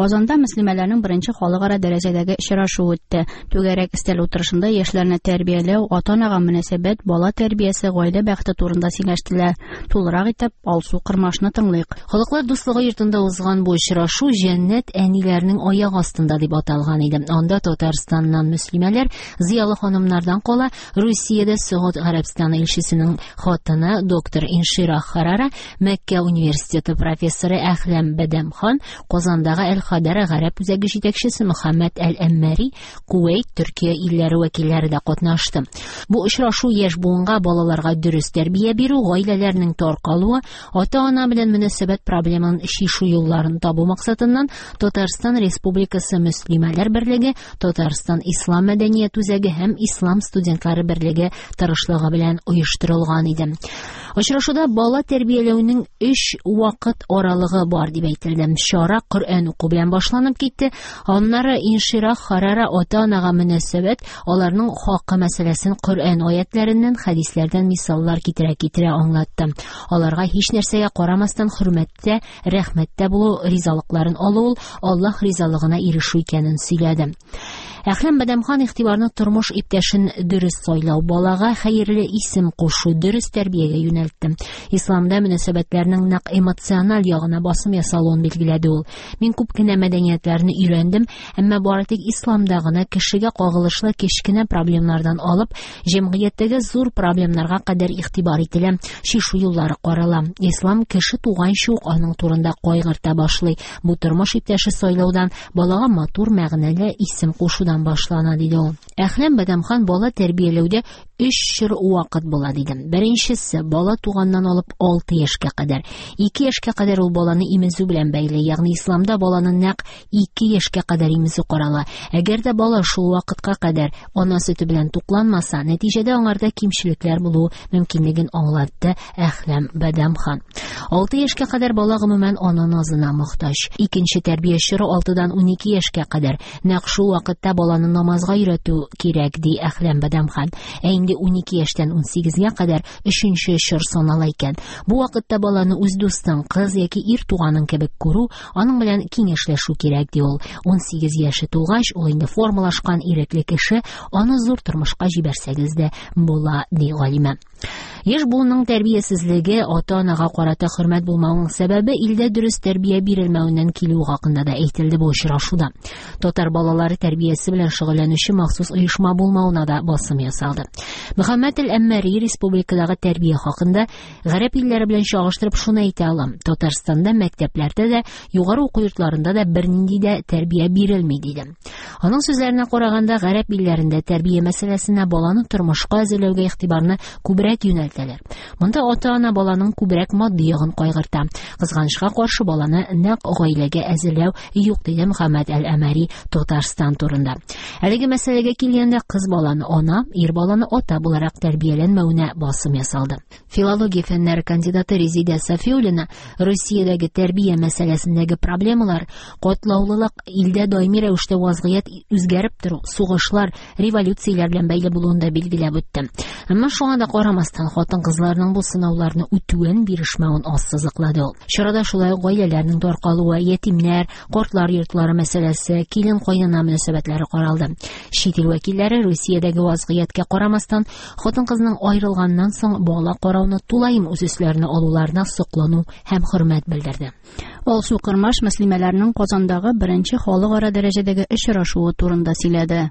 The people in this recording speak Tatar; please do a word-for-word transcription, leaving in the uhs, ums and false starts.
Казанда мөслимәләрнең беренче халыкара дәрәҗәдәге очрашуы үтте. Түгәрәк өстәл утырышында яшьләрне тәрбияләү, ата-анага мөнәсәбәт, бала тәрбиясе, гаилә бәхете турында сөйләштеләр. Тулырак итеп Алсу Кырмашны тыңлыйк. Халыклар дуслыгы йортында узган бу очрашу "Җәннәт әниләрнең аяк астында" дип аталган иде. Анда Татарстаннан мөслимәләр, зыялы ханымнардан кала Русиядә Согуд Гарәбстаны илчесенең хатыны доктор Иншира Харара, Мәккә университеты профессоры Әхләм Бәдәмхан, Казандагы Әл-Хадара гарәп үзәге җитәкчесе Мөхәммәд Әл-Әммәри, Кувейт, Төркия илләре вәкилләре дә катнашты. Бу очрашу яшь буынга, балаларга дөрес тәрбия бирү, гаиләләрнең таркалуы, ата-ана белән мөнәсәбәт проблемын чишү юлларын табу максатыннан Татарстан Республикасы Мөслимәләр берлеге, Татарстан Ислам мәдәният үзәге һәм Ислам студентлары берлеге тырышлыгы белән оештырылган иде. Очрашуда бала тәрбияләүнең өч вакыт аралыгы бар дип әйтелде. Чара Коръән уку белән башланып китте. Аннары Иншира Харара ата-анага мөнәсәбәт, аларның хакы мәсьәләсен Коръән аятларыннан, хәдисләрдән мисаллар китерә-китерә аңлатты. Аларга һич нәрсәгә карамастан хөрмәттә, рәхмәттә булу, ризалыкларын алу ул Аллаһ ризалыгына ирешү икәнен сөйләде. Әхләм Бәдәмхан игътибарны тормыш иптәшен дөрес сайлау, балага хәерле исем кушу, дөрес тәрбиягә юнәлтте. Исламда мөнәсәбәтләрнең нәкъ эмоциональ ягына басым ясалуын билгеләде ул. Мин күп кенә мәдәниятләрне өйрәндем, әмма бары тик исламда гына кешегә кагылышлы кечкенә проблемнардан алып, җәмгыятьтәге зур проблемнарга кадәр игътибар ителә, чишү юллары карала. Ислам кеше туганчы ук аның турында кайгырта башлый. Бу тормыш иптәше сайлаудан, балага матур мәгънәле исем кушудан башлана, диде ул. Әхләм Бәдәмхан бала тәрбияләүдә өч чор вакыт була, диде. Беренчесе бала туганнан алып алты яшькә кадәр. Ике яшькә кадәр ул баланы имезү белән бәйле, ягъни исламда баланы нәкъ ике яшькә кадәр имезү карала. Әгәр дә бала шул вакытка кадәр ана сөте белән тукланмаса, нәтиҗәдә аңарда кимчелекләр булу мөмкинлеген аңлатты Әхләм Бәдәмхан. Алты яшькә кадәр бала гомумән ана назына мохтаҗ. Икенче тәрбия чоры алтыдан унике яшькә кадәр. Нәкъ шул вакытта баланы намазга өйрәтү кирәк, ди Әхләм Бәдәмхан. Ә инде унике яшьтән унсигезгә кадәр өченче чор санала икән. Бу вакытта баланы үз дустың, кыз яки ир туганың кебек күрү, аның белән киңәшләшү кирәк, ди ул. Унсигез яше тулгач, ул инде формалашкан ирекле кеше, аны зур тормышка җибәрсәгез дә була, ди галимә. Яшь буынның тәрбиясезлеге, ата-анага карата хөрмәт булмауның сәбәбе илдә дөрес тәрбия бирелмәвеннән килү хакында да әйтелде бу очрашуда. Татар балалары тәрбиясе белән шөгыльләнүче махсус оешма булмавына да басым ясалды. Мөхәммәд әл-Әммәри республикадагы тәрбия хакында гарәп илләре белән чагыштырып шуны әйтә алам: Татарстанда мәктәпләрдә дә, югары уку йортларында да бернинди дә тәрбия бирелми, диде. Аның сүзләренә караганда, гарәп илләрендә тәрбия мәсьәләсенә, баланы тормышка әзерләүгә игътибарны күбрәк юнәлтәләр. Монда ата-ана баланың күбрәк матди ягын кайгырта. Кызганычка каршы, баланы нәкъ гаиләгә әзерләү юк, диде Мөхәммәд әл-Әмәри Татарстан турында. Әлеге мәсьәләгә килгәндә, кыз баланы ана, ир баланы ата буларак тәрбияләнмәвенә басым ясалды. Филология фәннәре кандидаты Резидә Сафиуллина Русиядәге тәрбия мәсьәләсендәге проблемалар, катлаулылык, илдә даими рәвештә вазгыять үзгәреп тору, сугышлар, революцияләр белән бәйле булуын да билгеләп үтте. Әмма шуңа да карамастан, хатын-кызларның бу сынауларны үтүен, бирешмәвен ассызыклады ул. Чарада шулай ук гаиләләрнең таркалуы, ятимнәр, картлар йортлары мәсьәләсе, килен-кайнана мөнәсәбәтләре каралды. Чит ил вәкилләре Русиядәге вазгыятькә карамастан, хатын-кызның аерылганнан соң бала карауны тулаем үз өсләренә алуларына соклану һәм хөрмәт белдерде. Алсу Кырмаш мөслимәләрнең Казандагы беренче халыкара дәрәҗәдәге очрашуы турында сөйләде.